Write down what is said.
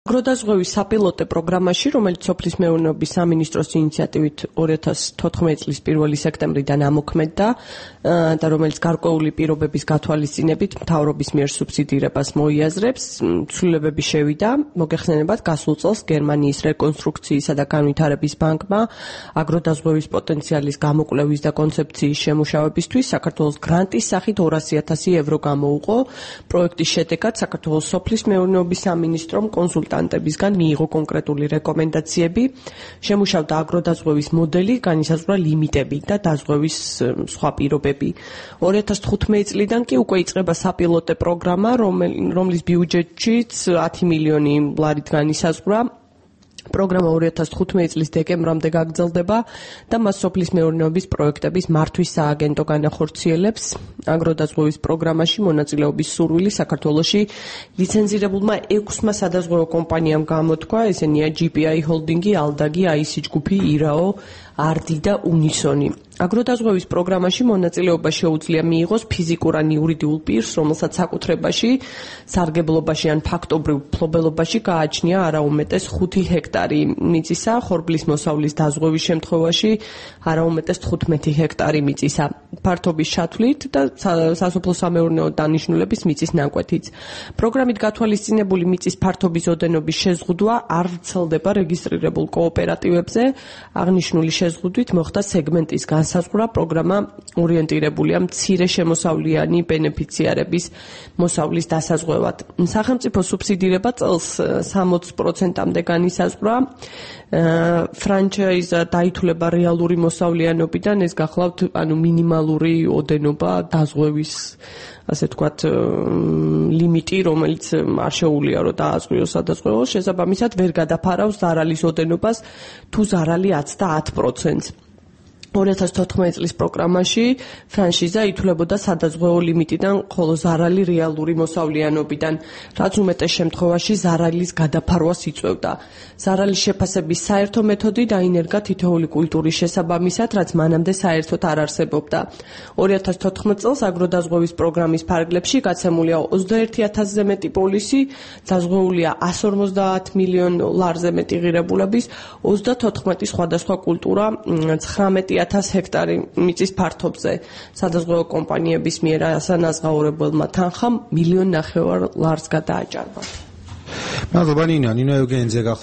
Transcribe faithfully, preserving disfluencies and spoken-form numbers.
აგროდაზღვევის საპილოტო პროგრამაში, რომელიც სოფლის მეურნეობის სამინისტროს ინიციატივით ორი ათას თოთხმეტი წლის პირველი სექტემბრიდან ამოქმედდა და რომელიც გარკვეული პირობების გათვალისწინებით მთავრობის მიერ სუბსიდირებას მოიაზრებს, ცვლილებები შევიდა. მოგეხსენებათ, გასულ წელს გერმანიის რეკონსტრუქციისა და განვითარების ბანკმა აგროდაზღვევის პოტენციალის გამოკვლევის და კონცეფციის შემუშავებისთვის საქართველოს გრანტის სახით ორასი ათასი ევრო გამოუყო. პროექტის შედეგად საქართველოს სოფლის მეურნეობის სამინისტრომ კონსულტანტებისგან მიიღო კონკრეტული რეკომენდაციები, შემუშავდა აგროდაზღვევის მოდელი, განისაზღვრა ლიმიტები და დაზღვევის სხვა პირობები. ორი ათას თხუთმეტი წლიდან კი უკვე იწყება საპილოტო პროგრამა, რომლის ბიუჯეტშიც ათი მილიონი ლარით განისაზღვრა. პროგრამა ორი ათას თხუთმეტი წლის დეკემბრამდე გაგრძელდება და მას სოფლის მეურნეობის პროექტების მართვის სააგენტო განახორციელებს. აგროდაზღვევის პროგრამაში მონაწილეობის სურვილი საქართველოში ლიცენზირებულმა ექვსმა სადაზღვევო კომპანიამ გამოთქვა, ესენია ჯი პი აი ჰოლდინგი, ალდაგი, აისი ჯგუფი, ირაო, არდი და უნისონი. აგროდაზღვევის პროგრამაში მონაწილეობა შეუძლია მიიღოს ფიზიკურ ან იურიდიულ პირს, რომელსაც საკუთრებაში, სარგებლობაში ან ფაქტობრივ მფლობელობაში გააჩნია არაუმეტეს ხუთი ჰექტარი მიწისა, ხორბლის მოსავლის დაზღვევის შემთხვევაში არაუმეტეს თხუთმეტი ჰექტარი მიწისა, ფართობის ჩათვლით და სასოფლო სამეურნეო დანიშნულების მიწის ნაკვეთიც. პროგრამით გათვალისწინებული მიწის ფართობის ოდენობის შეზღუდვა არ ვრცელდება რეგისტრირებულ კოოპერატივებზე. აღნიშნული შეზღუდვით მოხდა სეგმენტის განსაზღვრა. პროგრამა ორიენტირებულია მცირე შემოსავლიანი ბენეფიციარების მოსავლის დასაზღვევად. სახელმწიფო სუბსიდირება წელს სამოცი პროცენტამდე განისაზღვრა. ფრანჩაიზა დაითვლება რეალური მოსავლიანობიდან, ეს გახლავთ ანუ მინიმალური ოდენობა დაზღვევის, ასე ვთქვათ, ლიმიტი, რომელიც არ შეუძლია რომ დააზღვიოს სადაზღვევოს, შესაბამისად ვერ გადაფარავს ზარალის ოდენობას, თუ ზარალი აცდა ათ პროცენტს. ორი ათას თოთხმეტი წლის პროგრამაში ფრანშიზა ითვლებოდა სადაზღვევო ლიმიტიდან, ხოლო ზარალი რეალური მოსავლიანობიდან, რაც უმეტეს შემთხვევაში ზარალის გადაფარვას იწვევდა. ზარალის შეფასების საერთო მეთოდი დაინერგა თითოეული კულტურის შესაბამისად, რაც მანამდე საერთოდ არ არსებობდა. ორი ათას თოთხმეტი წელს აგროდაზღვევის პროგრამის ფარგლებში გაცემულია ოცდაერთი ათასზე მეტი პოლისი, დაზღვეულია ასი ორმოცდაათ მილიონ ლარზე მეტი ღირებულების, ოცდათოთხმეტი სხვადასხვა კულტურა, ცხრამეტი ათას ჰექტარი მიწის ფართობზე. სადაზღვევო კომპანიების მიერ ასანაზღაურებელმა თანხამ მილიონ ნახევარ ლარს გადააჭარბა. მადლობა ნინა, ნინო ევგენიძე გახდა.